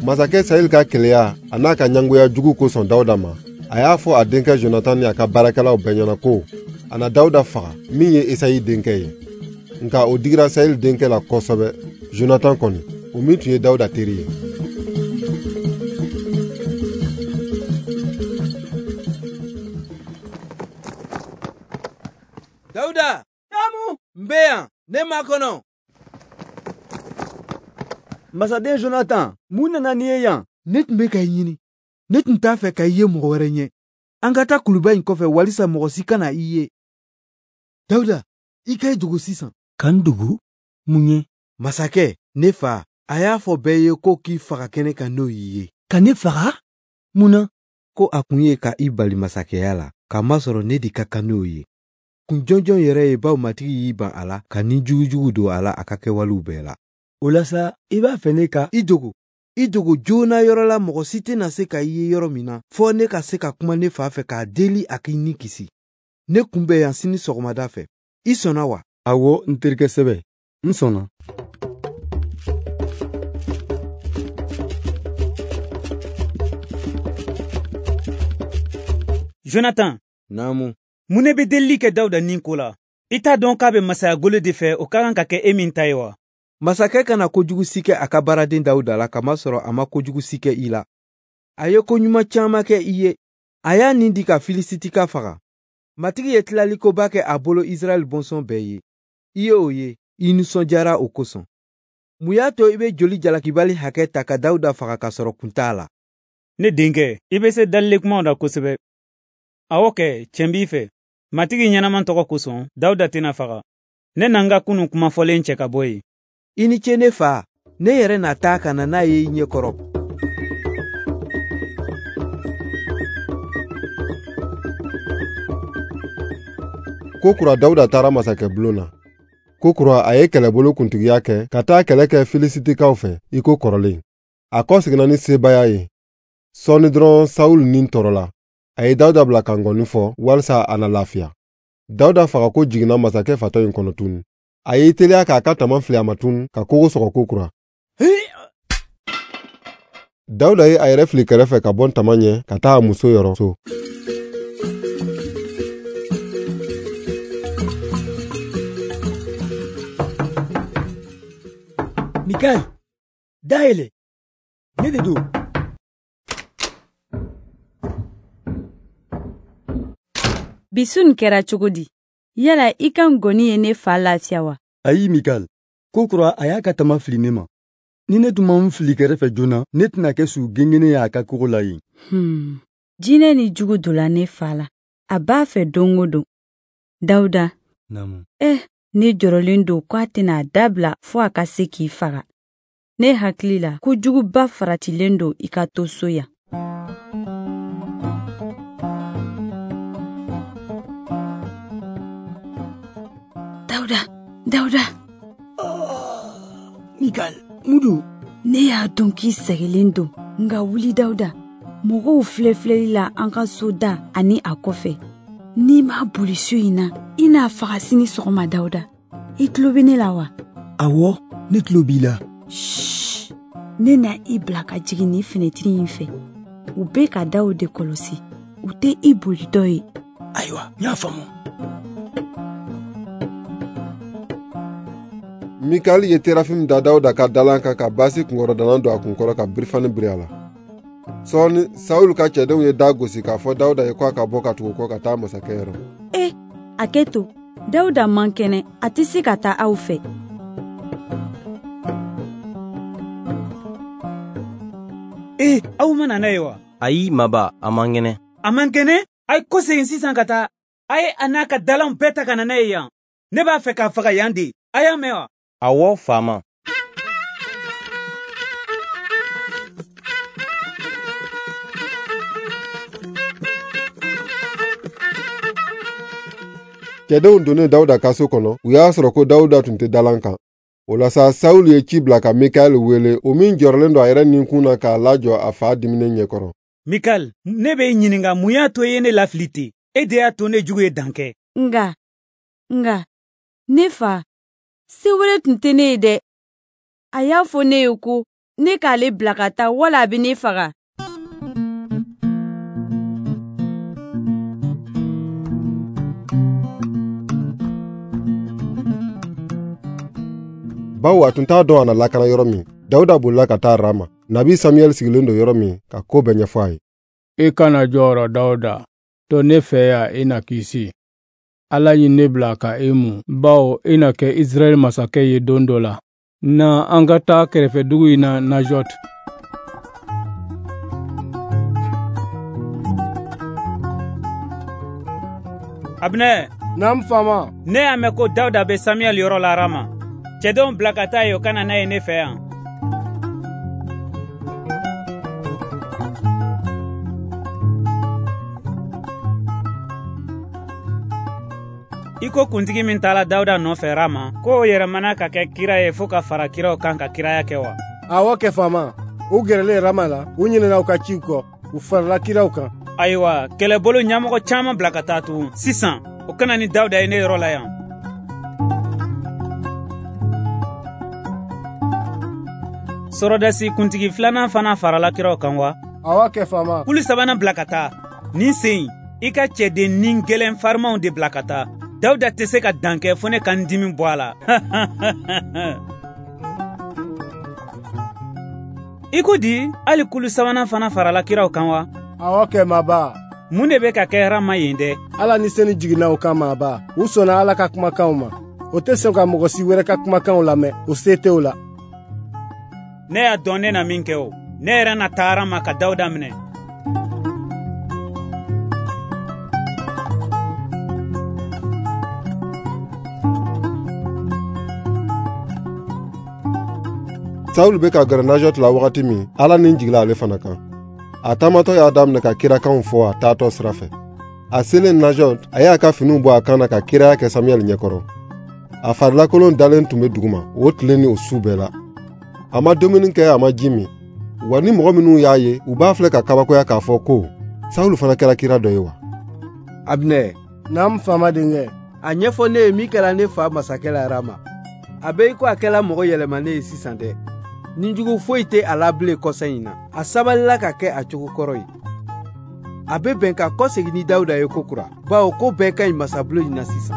Masakɛ Sayil ka keleya a n'a ka ɲɛngoya jugu kosɔn Dawuda ma, a y'a fɔ a denkɛ Jonatan ni a ka baarakɛlaw bɛɛ ɲɛna ko a na Dawuda faga min ye Esayi denkɛ ye. Nka o digira Sayil denkɛ la kosɛbɛ, Jonatan kɔni, o min tun ye Dawuda teri ye. Dawuda! Naamu! N bɛ yan, ne makɔnɔ. Masaden Jonatan, mun nana n'i ye yan? Ne tun bɛ ka i ɲini. Ne tun t'a fɛ ka i ye mɔgɔ wɛrɛ ɲɛ. An ka taa kuluba in kɔfɛ walisa mɔgɔ si kana i ye. Dawuda, i ka i dogo sisan. Ka n dogo? Mun ye? Masakɛ, ne fa, a y'a fɔ bɛɛ ye ko k'i faga kɛnɛ kan n'o y'i ye. Ka ne faga? Mun na? Ko a kun ye ka i bali masakɛya la, k'a masɔrɔ ne de ka kan n'o ye. Kun jɔnjɔn yɛrɛ ye bawo Matigi y'i ban a la ka ni jugujugu don a la a ka kɛwalew bɛɛ la. O la sa, i b'a fɛ ne ka i dogo. I dogo joona yɔrɔ la mɔgɔ si tɛna se ka i ye yɔrɔ min na, fɔ ne ka se ka kuma ne fa fɛ k'a deli a k'i ni kisi. Ne kun bɛ yan sini sɔgɔmada fɛ. I sɔnna wa? Awɔ, n terikɛ sɛbɛ, n sɔnna. Jonatan. Naamu. Mun ne bɛ delili kɛ Dawuda ni ko la? I t'a dɔn k'a bɛ masaya golo de fɛ, o ka kan ka kɛ e min ta ye wa? Masakɛ kana kojugu si kɛ a ka baaraden Dawuda la, kamasɔrɔ a ma kojugu si kɛ i la. A ye ko ɲuman caman kɛ i ye. A y'a nin di ka Filisitika faga. Matigi ye tilalikoba kɛ a bolo Israɛl bɔnsɔn bɛɛ ye. I ye o ye, i nisɔndiyara o kosɔn. Mun y'a to i bɛ joli jalakibali hakɛ ta ka Dawuda faga k'a sɔrɔ kun t'a la? Ne denkɛ, i bɛ se dalile kumaw la kosɛbɛ. Awɔ kɛ, tiɲɛ b'i fɛ. Matigi ɲɛnama tɔgɔ kosɔn, Dawuda tɛna faga. Ne na n ka kunun kumafɔlen cɛ ka bɔ yen. I ni ce ne fa, ne yɛrɛ na taa ka na n'a ye i ɲɛkɔrɔ. Ko kura Dawuda taara masakɛ bulon na. Ko kura a ye kɛlɛbolo kuntigiya kɛ ka taa kɛlɛ kɛ Filisitikaw fɛ i ko kɔrɔlen. A kɔseginna ni sebaaya ye. Sɔɔni dɔrɔn Sawul ni tɔɔrɔla. A ye Dawuda bila ka ngɔni fɔ walisa a na lafiya. Dawuda fagako jiginna masakɛ fatɔ in kɔnɔ tun. A y'i teliya k'a ka tama fili a ma tun ka kogo sɔgɔ ko kura. Dawuda ye a yɛrɛ fili kɛrɛfɛ ka bɔ tama ɲɛ ka taa a muso yɔrɔ so. Mikal, da yɛlɛ. Ne de don. Bisu nin kɛra cogo di? Yala i ka ngɔni ye ne fa lafiya wa? Ayi Mikal, ko kura a y'a ka tama fili ne ma. Ni ne tun ma n fili kɛrɛfɛ joona, ne tɛna kɛ su gengene ye a ka kogo la yen. Jinɛ ni jugu donna ne fa la. A b'a fɛ don o don. Dawuda. Naamu. Ne jɔrɔlen don ko a tɛna a dabila fo a ka se k'i faga. Ne hakili la ko juguba faratilen don i ka to so yan. Dawuda, Dawuda. Oh, Mikal, mun don? Ne y'a dɔn k'i sɛgɛlen don, nka wuli Dawuda. Mɔgɔw filɛ filɛli la an ka so da ani a kɔfɛ. N'i ma boli so in na, i n'a faga sini sɔgɔma Dawuda. I tulo bɛ ne la wa? Awɔ, ne tulo b'i la. Shh, ne na i bila ka jigin ni fenɛtiri in fɛ. U bɛ ka daw de kɔlɔsi. U tɛ i boli dɔ ye. Ayiwa, n y'a faamu. Mikal ye terafim da Dawuda ka dalan kan ka baasi kunkɔrɔdana don a kunkɔrɔ ka birifani biri a la. Sɔɔni Sawul ka cɛdenw ye da gosi k'a fɔ Dawuda ye ko a ka bɔ ka tugu kɔ ka taa masakɛ yɔrɔ. A kɛ to. Dawuda man kɛnɛ, a tɛ se ka taa aw fɛ. Aw ma na n'a ye wa? Ayi maba, a man kɛnɛ. A man kɛnɛ? A ye kɔsegin sisan ka taa. A ye a n'a ka dalanw bɛɛ ta ka na n'a ye yan. Ne b'a fɛ k'a faga yan de. A y'a mɛn wa? Awɔ, faama. Cɛdenw donnen Dawuda ka so kɔnɔ, u y'a sɔrɔ ko Dawuda tun tɛ dalan kan. O la sa, Sawul ye ci bila ka Mikal wele, o min jɔrɔlen don a yɛrɛ ninkun na k'a lajɔ a fa diminen ɲɛkɔrɔ. Mikal, ne bɛ i ɲininka mun y'a to i ye ne lafili ten? E de y'a to ne jugu ye dan kɛ. Nka, ne fa, se wɛrɛ tun tɛ ne ye dɛ. A y'a fɔ ne ye ko ne k'ale bila ka taa wala a bɛ ne faga. Bawo a tun t'a dɔn a na lakana yɔrɔ min, Dawuda bolila ka taa Rama. Nabi Samuɛl sigilen don yɔrɔ min ka ko bɛɛ ɲɛfɔ a ye. I kana jɔrɔ Dawuda, to ne fɛ yan i na kisi. Ala ye ne bila ka e mun, bawo i na kɛ Israɛl masakɛ ye don dɔ la. Na an ka taa kɛrɛfɛdugu in na Najɔt. Abinɛ. Naamu faama. Ne y'a mɛn ko Dawuda bɛ Samuɛl yɔrɔ la Rama. Cɛdenw bila ka taa yen, o ka na n'a ye ne fɛ yan. I ko kuntigi min taala Dawuda nɔfɛ Rama, k'o yɛlɛmana ka kɛ kira ye fo ka fara kiraw kan ka kiraya kɛ wa? Awɔ kɛ faama. U gɛrɛlen Rama la, u ɲinɛna u ka ciw kɔ, u farala kiraw kan. Ayiwa, kɛlɛbolo ɲɛmɔgɔ caman bila ka taa tugun. Sisan, o ka na ni Dawuda ye ne yɔrɔ la yan. Sɔrɔdasi kuntigi filanan fana farala kiraw kan wa? Awɔ kɛ faama. Kulu sabanan bila ka taa. Nin sen in, i ka cɛden ni gɛlɛn farimanw de bila ka taa. Dawuda tɛ se ka dan kɛ fo ne ka n dimi bɔ a la. I ko di, hali kulu sabanan fana farala kiraw kan wa? Awɔ kɛ maaba. Mun de bɛ ka kɛ Rama yen dɛ? Ala ni senu jiginna u kan maaba. U sɔnna Ala ka kumakanw ma. O tɛ sɔn ka mɔgɔ si wɛrɛ ka kumakanw lamɛn, o se tɛ o la. Ne y'a dɔn ne na min kɛ o. Ne yɛrɛ na taa Rama ka Dawuda minɛ. Saul bɛ ka gɛrɛ Najɔt la wagati min, Ala ni jigila ale fana kan. A taamatɔ y'a daminɛ ka kirakanw fɔ a taatɔ sira fɛ. A selen Najɔt, a y'a ka finiw bɔ a kan na ka kiraya kɛ Samuɛl ɲɛkɔrɔ. A farilakolon dalen tun bɛ duguma o tile ni o su bɛɛ la. A ma dumuni kɛ, a ma ji min. Wa ni mɔgɔ minnu y'a ye, u b'a filɛ ka kabakoya k'a fɔ ko Saul fana kɛra kira dɔ ye wa? Abinɛ. Naamu faama denkɛ. A ɲɛfɔ ne ye min kɛra ne fa masakɛ la Rama. A bɛ i ko a kɛla mɔgɔ yɛlɛmanen ye sisan dɛ. Nijugu foyi tɛ a la bilen kɔsa in na. A sabalila ka kɛ a cogo kɔrɔ ye. A bɛ bɛn ka kɔsegin ni Dawuda ye kokura, bawo ko bɛɛ ka ɲi masabulon in na sisan.